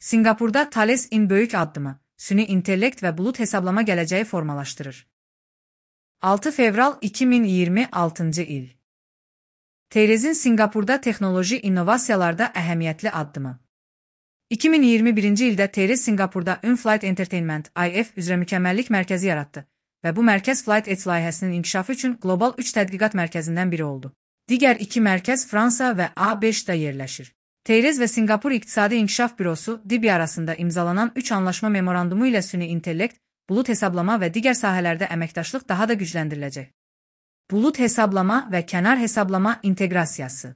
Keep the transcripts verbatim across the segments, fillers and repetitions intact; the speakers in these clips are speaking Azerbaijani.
Singapurda Thales-in böyük addımı, süni intellekt və bulut hesablama gələcəyi formalaşdırır. altı fevral iki min iyirmi altıncı il. Theres'in Singapurda texnoloji innovasiyalarda əhəmiyyətli addımı. iki min iyirmi birinci ildə Theres Singapurda In-Flight Entertainment I F üzrə mükəmməllik mərkəzi yaratdı və bu mərkəz Flight Edge layihəsinin inkişafı üçün qlobal üç tədqiqat mərkəzindən biri oldu. Digər iki mərkəz Fransa və A beşdə yerləşir. Theres və Singapur İqtisadi İnkişaf Bürosu D I B arasında imzalanan üç anlaşma memorandumu ilə süni intellekt, bulut hesablama və digər sahələrdə əməkdaşlıq daha da gücləndiriləcək. Bulut hesablama və kənar hesablama inteqrasiyası.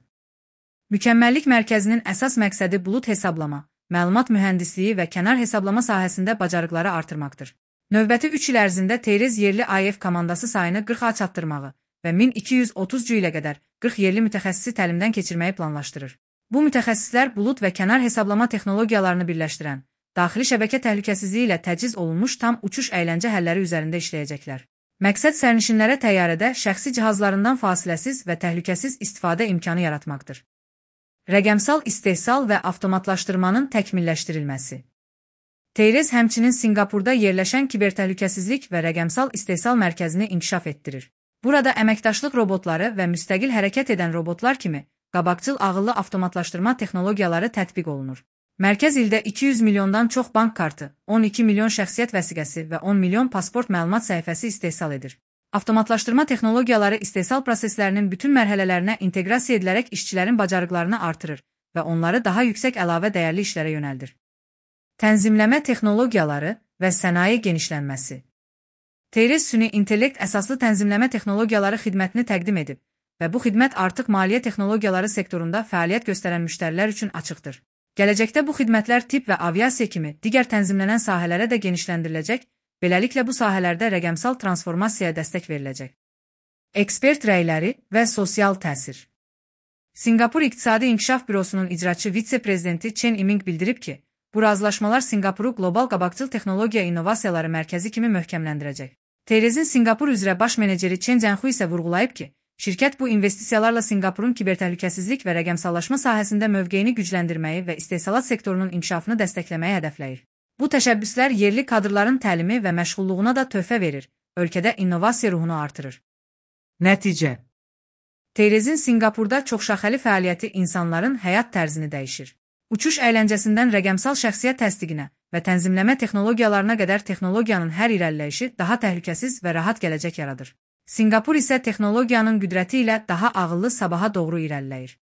Mükəmməllik mərkəzinin əsas məqsədi bulut hesablama, məlumat mühəndisliyi və kənar hesablama sahəsində bacarıqları artırmaqdır. Növbəti üç il ərzində Theres yerli I F komandası sayını qırxa çatdırmağı və min iki yüz otuz cüylə qədər qırx yerli mütəxəssisi təlimdən keçirməyi planlaşdırır. Bu mütəxəssislər bulut və kənar hesablama texnologiyalarını birləşdirən, daxili şəbəkə təhlükəsizliyi ilə təchiz olunmuş tam uçuş əyləncə həlləri üzərində işləyəcəklər. Məqsəd sərnişinlərə təyyarədə şəxsi cihazlarından fasiləsiz və təhlükəsiz istifadə imkanı yaratmaqdır. Rəqəmsal istehsal və avtomatlaşdırmanın təkmilləşdirilməsi. Theres həmçinin Singapurda yerləşən kibertəhlükəsizlik və rəqəmsal istehsal mərkəzini inkişaf etdirir. Burada əməkdaşlıq robotları və müstəqil hərəkət edən robotlar kimi qabaqcıl ağıllı avtomatlaşdırma texnologiyaları tətbiq olunur. Mərkəz ildə iki yüz milyondan çox bank kartı, on iki milyon şəxsiyyət vəsiqəsi və on milyon pasport məlumat səhifəsi istehsal edir. Avtomatlaşdırma texnologiyaları istehsal proseslərinin bütün mərhələlərinə inteqrasiya edilərək işçilərin bacarıqlarını artırır və onları daha yüksək əlavə dəyərli işlərə yönəldir. Tənzimləmə texnologiyaları və sənaye genişlənməsi. Theres süni intellekt əsaslı tənzimləmə texnologiyaları xidmətini təqdim edib və bu xidmət artıq maliyyə texnologiyaları sektorunda fəaliyyət göstərən müştərilər üçün açıqdır. Gələcəkdə bu xidmətlər tibb və aviasiya kimi digər tənzimlənən sahələrə də genişləndiriləcək, beləliklə bu sahələrdə rəqəmsal transformasiyaya dəstək veriləcək. Ekspert rəyləri və sosial təsir. Singapur İqtisadi İnkişaf Bürosunun icraçı vitse-prezidenti Chen Iming bildirib ki, bu razılaşmalar Singapuru qlobal qabaqcıl texnologiya innovasiyaları mərkəzi kimi möhkəmləndirəcək. Theres'in Singapur üzrə baş meneceri Chen Jianhui isə vurğulayıb ki, şirkət bu investisiyalarla Singapurun kibertəhlükəsizlik və rəqəmsallaşma sahəsində mövqeyini gücləndirməyi və istehsalat sektorunun inkişafını dəstəkləməyi hədəfləyir. Bu təşəbbüslər yerli kadrların təlimi və məşğulluğuna da töhfə verir, ölkədə innovasiya ruhunu artırır. Nəticə. Theres'in Singapurda çoxşaxəli fəaliyyəti insanların həyat tərzini dəyişir. Uçuş əyləncəsindən rəqəmsal şəxsiyyət təsdiqinə və tənzimləmə texnologiyalarına qədər texnologiyanın hər irəliləyişi daha təhlükəsiz və rahat gələcək yaradır. Singapur isə texnologiyanın qüdrəti ilə daha ağıllı sabaha doğru irəliləyir.